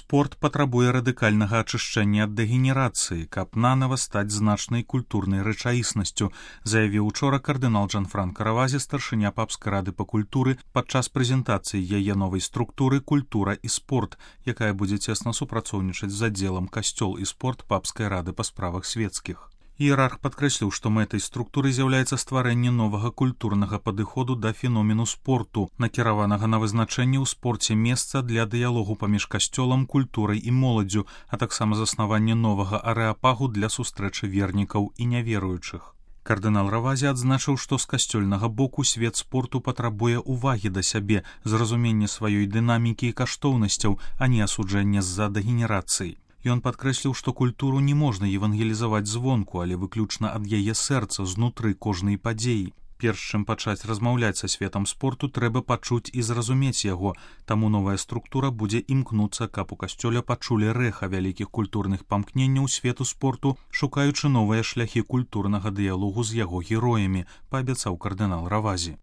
Спорт патрабуе радыкальнага ачышчэння ад дэгенерацыі, каб нанава стаць значнай культурнай рэчаіснасцю, заявіў учора кардынал Джанфранка Равазі, старшыня папскай рады па культуры, падчас прэзентацыі яе новай структуры «Культура і спорт», якая будзе цесна супрацоўнічаць з аддзелам «Касцёл і спорт» папскай рады па справах свецкіх. Іерарх падкрэсліў, што мэтай структуры з'яўляецца стварэнне новага культурнага падыходу да феномену спорту, накіраванага на вызначэнне ў спорце месца для дыялогу паміж касцёлам, культурай і моладдзю, а таксама заснаванне новага арэапагу для сустрэчы вернікаў і няверуючых. Кардынал Равазі адзначыў, што з касцёльнага боку свет спорту патрабуе ўвагі да сябе, зразумення сваёй дынамікі і каштоўнасцяў, а не асуджэння з-за дэгенерацыі. Ён падкрэсліў, што культуру не можна евангелізаваць звонку, але выключна ад яе сэрца, знутры кожнай падзеі. Перш чым пачаць размаўляць са светам спорту, трэба пачуць і зразумець яго, таму новая структура будзе імкнуцца, каб у касцёле пачулі рэха вялікіх культурных памкненняў свету спорту, шукаючы новыя шляхі культурнага дыялогу з яго героямі, паабяцаў кардынал Равазі.